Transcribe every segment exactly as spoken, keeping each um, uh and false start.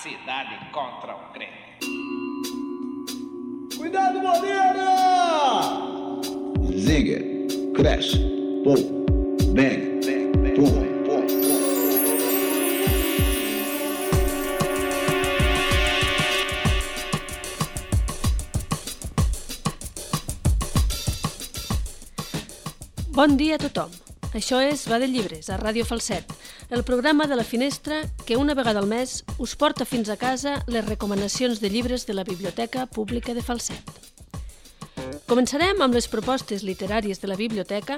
cidade contra o crente. Cuidado, Moreira! Zinger, crash, pum, bang, bang, bang, pum, pum, pum. Bon dia a tothom. Això és Va de Llibres, a Ràdio Falset, el programa de la Finestra que una vegada al mes us porta fins a casa les recomanacions de llibres de la Biblioteca Pública de Falset. Començarem amb les propostes literàries de la biblioteca.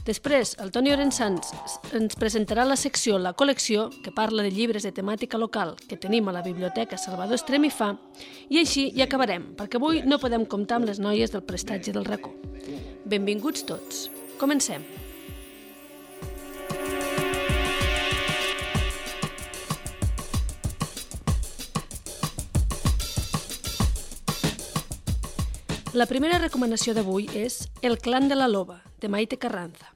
Després, el Toni Orensans ens presentarà la secció La Col·lecció, que parla de llibres de temàtica local que tenim a la Biblioteca Salvador Estremifà, i així hi acabarem, perquè avui no podem comptar amb les noies del prestatge del racó. Benvinguts tots. Comencem. La primera recomanació d'avui és El clan de la loba, de Maite Carranza.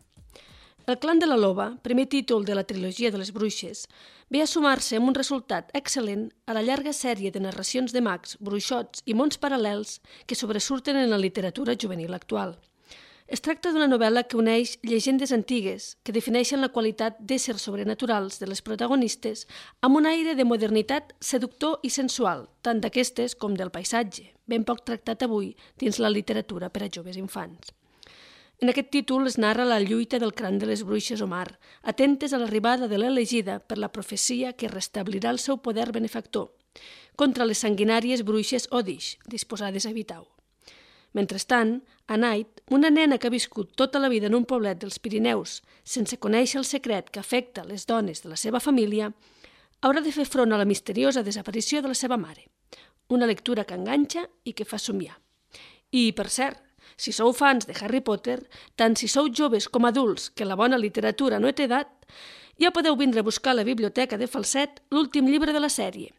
El clan de la loba, primer títol de la trilogia de les bruixes, ve a sumar-se amb un resultat excel·lent a la llarga sèrie de narracions de mags, bruixots i mons paral·lels que sobresurten en la literatura juvenil actual. Es tracta d'una novel·la que uneix llegendes antigues que defineixen la qualitat d'éssers sobrenaturals de les protagonistes amb un aire de modernitat seductor i sensual, tant d'aquestes com del paisatge, ben poc tractat avui dins la literatura per a joves infants. En aquest títol es narra la lluita del clan de les bruixes Omar, atentes a l'arribada de l'elegida per la profecia que restablirà el seu poder benefactor, contra les sanguinàries bruixes Odish, disposades a evitar-ho. Mentrestant, Anait, una nena que ha viscut tota la vida en un poblet dels Pirineus sense conèixer el secret que afecta les dones de la seva família, haurà de fer front a la misteriosa desaparició de la seva mare. Una lectura que enganxa i que fa somiar. I, per cert, si sou fans de Harry Potter, tant si sou joves com adults que la bona literatura no té edat, ja podeu vindre a buscar a la biblioteca de Falset l'últim llibre de la sèrie,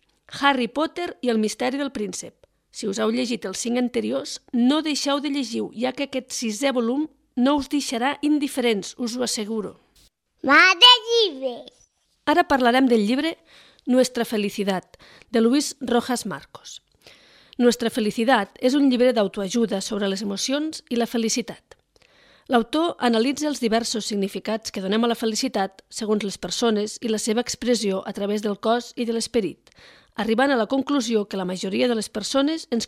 Harry Potter i el misteri del príncep. Si us heu llegit els cinc anteriors, no deixeu de llegir-ho, ja que aquest sisè volum no us deixarà indiferents, us ho asseguro. Va de llibres! Ara parlarem del llibre Nuestra Felicidad, de Luis Rojas Marcos. Nuestra Felicidad és un llibre d'autoajuda sobre les emocions i la felicitat. L'autor analitza els diversos significats que donem a la felicitat segons les persones i la seva expressió a través del cos i de l'esperit, arribant a la conclusió que la majoria de les persones ens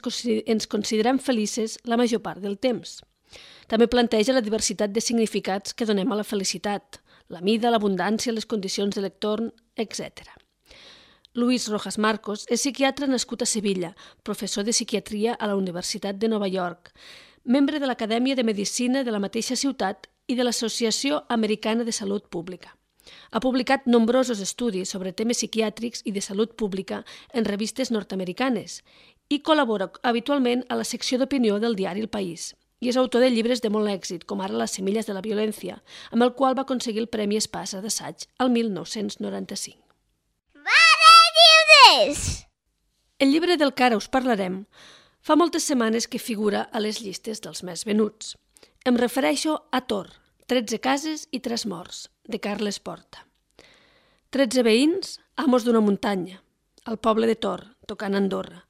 considerem felices la major part del temps. També planteja la diversitat de significats que donem a la felicitat, la mida, l'abundància, les condicions de l'entorn, etcètera. Luis Rojas Marcos és psiquiatre nascut a Sevilla, professor de psiquiatria a la Universitat de Nova York, membre de l'Acadèmia de Medicina de la mateixa ciutat i de l'Associació Americana de Salut Pública. Ha publicat nombrosos estudis sobre temes psiquiàtrics i de salut pública en revistes nord-americanes i col·labora habitualment a la secció d'opinió del diari El País. I és autor de llibres de molt èxit, com ara Les semilles de la violència, amb el qual va aconseguir el Premi Espasa d'assaig al mil nou-cents noranta-cinc. Va de llibres! El llibre del que ara us parlarem fa moltes setmanes que figura a les llistes dels més venuts. Em refereixo a Tor, tretze cases i tres morts, de Carles Porta. Tretze veïns, amos d'una muntanya, al poble de Tor, tocant Andorra.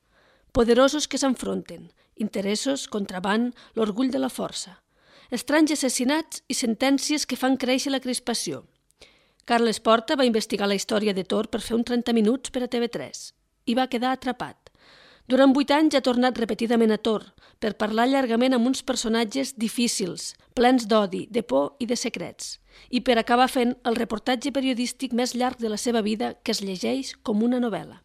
Poderosos que s'enfronten, interessos, contraban, l'orgull de la força. Estranys assassinats i sentències que fan créixer la crispació. Carles Porta va investigar la història de Tor per fer un trenta minuts per a T V tres i va quedar atrapat. Durant vuit anys ha tornat repetidament a Tor per parlar llargament amb uns personatges difícils, plens d'odi, de por i de secrets, i per acabar fent el reportatge periodístic més llarg de la seva vida que es llegeix com una novel·la.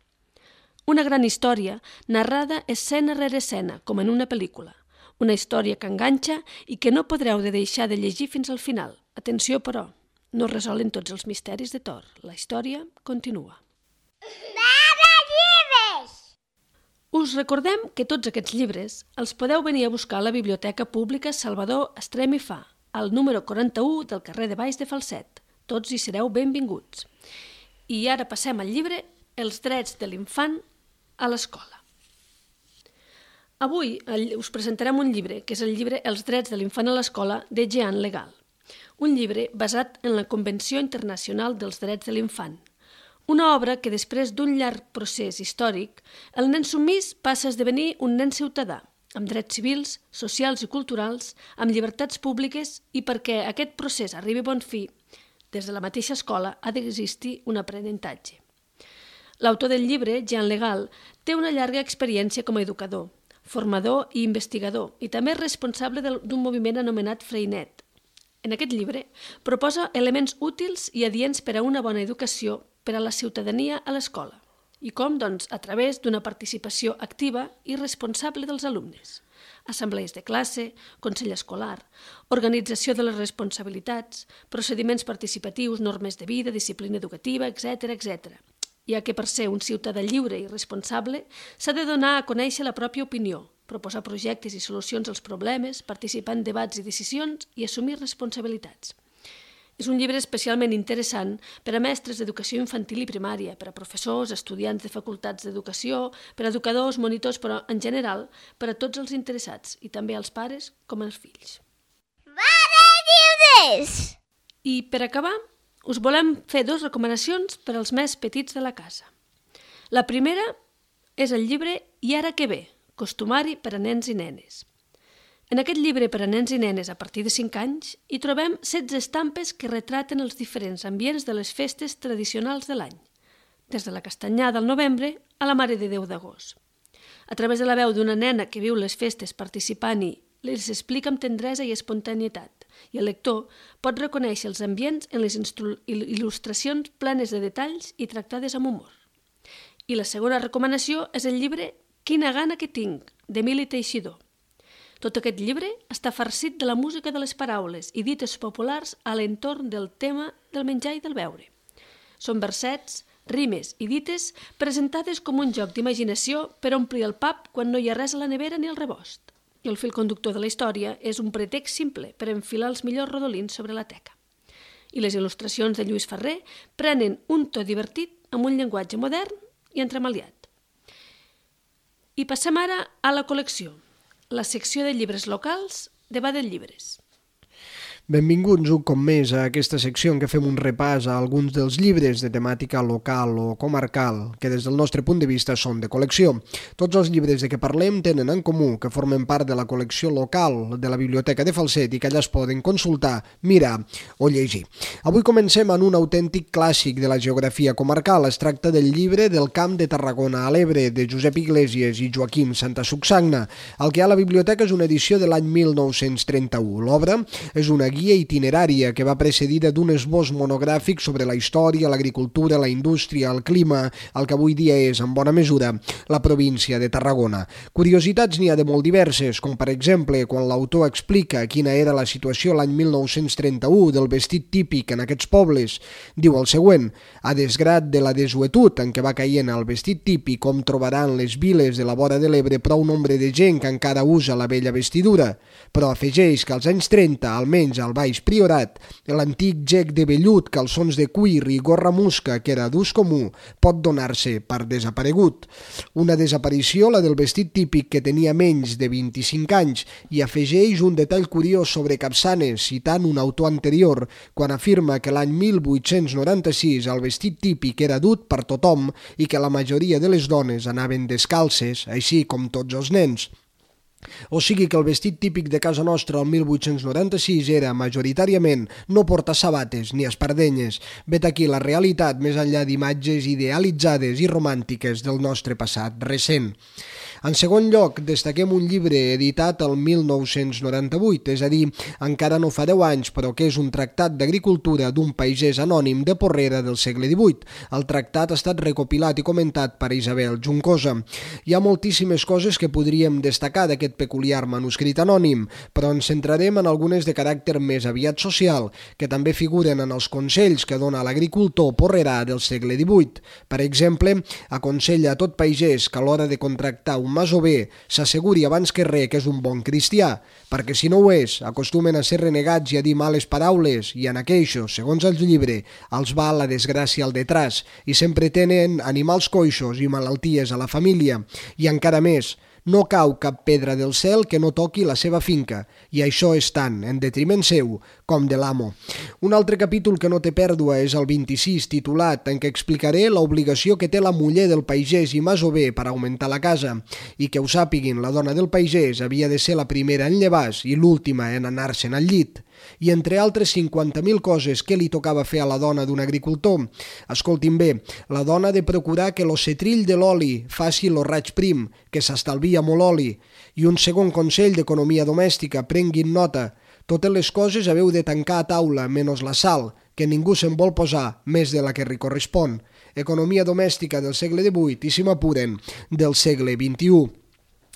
Una gran història, narrada escena rere escena, com en una pel·lícula. Una història que enganxa i que no podreu de deixar de llegir fins al final. Atenció, però, no resolen tots els misteris de Tor. La història continua. Va de llibres! Us recordem que tots aquests llibres els podeu venir a buscar a la Biblioteca Pública Salvador Estremifà, al número quaranta-u del carrer de Baix de Falset. Tots hi sereu benvinguts. I ara passem al llibre Els drets de l'infant a l'escola. Avui us presentarem un llibre, que és el llibre Els drets de l'infant a l'escola, de Jean Legal. Un llibre basat en la Convenció Internacional dels Drets de l'Infant, Una obra que després d'un llarg procés històric, el nen submís passa a esdevenir un nen ciutadà, amb drets civils, socials i culturals, amb llibertats públiques i perquè aquest procés arribi a bon fi, des de la mateixa escola ha d'existir un aprenentatge. L'autor del llibre, Jean Legal, té una llarga experiència com a educador, formador i investigador, i també és responsable d'un moviment anomenat Freinet. En aquest llibre proposa elements útils i adients per a una bona educació per a la ciutadania a l'escola, i com, doncs, a través d'una participació activa i responsable dels alumnes. Assemblees de classe, consell escolar, organització de les responsabilitats, procediments participatius, normes de vida, disciplina educativa, etcètera, etcètera. Ja que per ser un ciutadà lliure i responsable s'ha de donar a conèixer la pròpia opinió, proposar projectes i solucions als problemes, participar en debats i decisions i assumir responsabilitats. És un llibre especialment interessant per a mestres d'educació infantil i primària, per a professors, estudiants de facultats d'educació, per a educadors, monitors, però en general per a tots els interessats, i també als pares com als fills. Mare lliures! I per acabar, us volem fer dues recomanacions per als més petits de la casa. La primera és el llibre I ara què ve, costumari per a nens i nenes. En aquest llibre per a nens i nenes a partir de cinc anys hi trobem setze estampes que retraten els diferents ambients de les festes tradicionals de l'any, des de la castanyada al novembre a la Mare de Déu d'agost. A través de la veu d'una nena que viu les festes participant i les explica amb tendresa i espontaneïtat, i el lector pot reconèixer els ambients en les il·lustracions plenes de detalls i tractades amb humor. I la segona recomanació és el llibre Quina gana que tinc, d'Emili Teixidor. Tot aquest llibre està farcit de la música de les paraules i dites populars a l'entorn del tema del menjar i del beure. Són versets, rimes i dites presentades com un joc d'imaginació per omplir el pap quan no hi ha res a la nevera ni al rebost. I el fil conductor de la història és un pretext simple per enfilar els millors rodolins sobre la teca. I les il·lustracions de Lluís Ferrer prenen un to divertit amb un llenguatge modern i entremaliat. I passem ara a la col·lecció, la secció de llibres locals de Baden Llibres. Benvinguts un cop més a aquesta secció en què fem un repàs a alguns dels llibres de temàtica local o comarcal que des del nostre punt de vista són de col·lecció. Tots els llibres de què parlem tenen en comú que formen part de la col·lecció local de la Biblioteca de Falset i que allà es poden consultar, mirar o llegir. Avui comencem en un autèntic clàssic de la geografia comarcal. Es tracta del llibre del Camp de Tarragona a l'Ebre de Josep Iglesias i Joaquim Santasucsagna. El que hi ha a la biblioteca és una edició de l'any mil nou-cents trenta-u. L'obra és una guia itinerària que va precedida d'un esbós monogràfic sobre la història, l'agricultura, la indústria, el clima, el que avui dia és, en bona mesura, la província de Tarragona. Curiositats n'hi ha de molt diverses, com per exemple quan l'autor explica quina era la situació l'any mil nou-cents trenta-u del vestit típic en aquests pobles. Diu el següent: a desgrat de la desuetud en què va caient el vestit típic, com trobaran les viles de la vora de l'Ebre prou nombre de gent que encara usa la vella vestidura, però afegeix que als anys trenta, almenys al Baix Priorat, l'antic gec de vellut, calçons de cuir i gorra musca, que era d'ús comú, pot donar-se per desaparegut. Una desaparició, la del vestit típic, que tenia menys de vint-i-cinc anys, i afegeix un detall curiós sobre Capçanes, citant un autor anterior, quan afirma que l'any mil vuit-cents noranta-sis el vestit típic era dut per tothom i que la majoria de les dones anaven descalces, així com tots els nens. O sigui que el vestit típic de casa nostra el mil vuit-cents noranta-sis era, majoritàriament, no portar sabates ni espardenyes. Vet aquí la realitat més enllà d'imatges idealitzades i romàntiques del nostre passat recent. En segon lloc, destaquem un llibre editat el mil nou-cents noranta-vuit, és a dir, encara no fa deu anys, però que és un tractat d'agricultura d'un pagès anònim de Porrera del segle divuit. El tractat ha estat recopilat i comentat per Isabel Juncosa. Hi ha moltíssimes coses que podríem destacar d'aquest peculiar manuscrit anònim, però ens centrarem en algunes de caràcter més aviat social, que també figuren en els consells que dona l'agricultor porrerà del segle divuit. Per exemple, aconsella a tot pagès que a l'hora de contractar un masover s'asseguri abans que res que és un bon cristià, perquè si no ho és, acostumen a ser renegats i a dir males paraules, i en aqueixos, segons el llibre, els va la desgràcia al detràs, i sempre tenen animals coixos i malalties a la família. I encara més, No cau cap pedra del cel que no toqui la seva finca, i això és tant en detriment seu com de l'amo. Un altre capítol que no té pèrdua és el vint-i-sis, titulat, en què explicaré l'obligació que té la muller del pagès i masover per augmentar la casa, i que ho sàpiguin, la dona del pagès havia de ser la primera en llevar-se i l'última en anar-se'n al llit. I entre altres cinquanta mil coses que li tocava fer a la dona d'un agricultor. Escoltin bé, la dona ha de procurar que lo cetrill de l'oli faci lo raig prim, que s'estalvia molt oli. I un segon consell d'economia domèstica, prenguin nota. Totes les coses haveu de tancar a taula, menys la sal, que ningú se'n vol posar més de la que li correspon. Economia domèstica del segle divuit i, si m'apuren, del segle vint-i-u.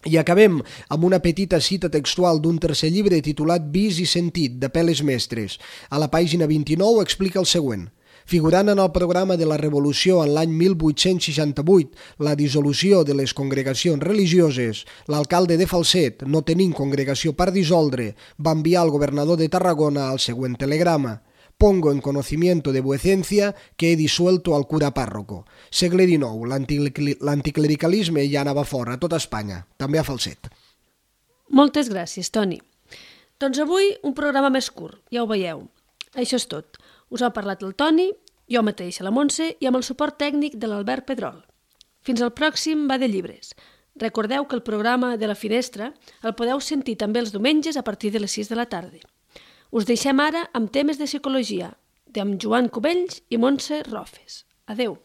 I acabem amb una petita cita textual d'un tercer llibre titulat Vis i sentit, de Peles Mestres. A la pàgina vint-i-nou explica el següent. Figurant en el programa de la Revolució en l'any mil vuit-cents seixanta-vuit, la dissolució de les congregacions religioses, l'alcalde de Falset, no tenint congregació per dissoldre, va enviar al governador de Tarragona el següent telegrama. Pongo en conocimiento de vuecencia que he disuelto al cura párroco. Segle dinou, l'anticlericalisme ja anava fora a tota Espanya, també a Falset. Moltes gràcies, Toni. Doncs avui un programa més curt, ja ho veieu. Això és tot. Us ha parlat el Toni, jo mateixa la Montse i amb el suport tècnic de l'Albert Pedrol. Fins al pròxim Va de Llibres. Recordeu que el programa de La Finestra el podeu sentir també els diumenges a partir de les sis de la tarda. Us deixem ara amb temes de psicologia, amb Joan Cubells i Montse Rofes. Adeu.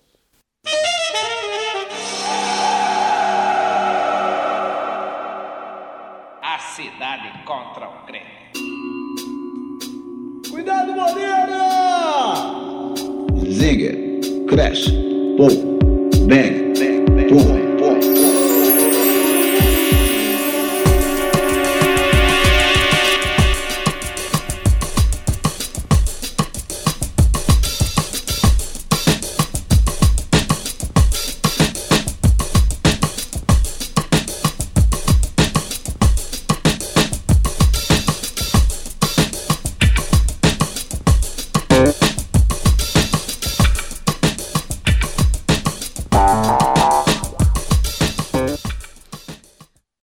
A cidade contra o crente. Cuidado, Moreira! Zinger, crash, pou, bang, boom.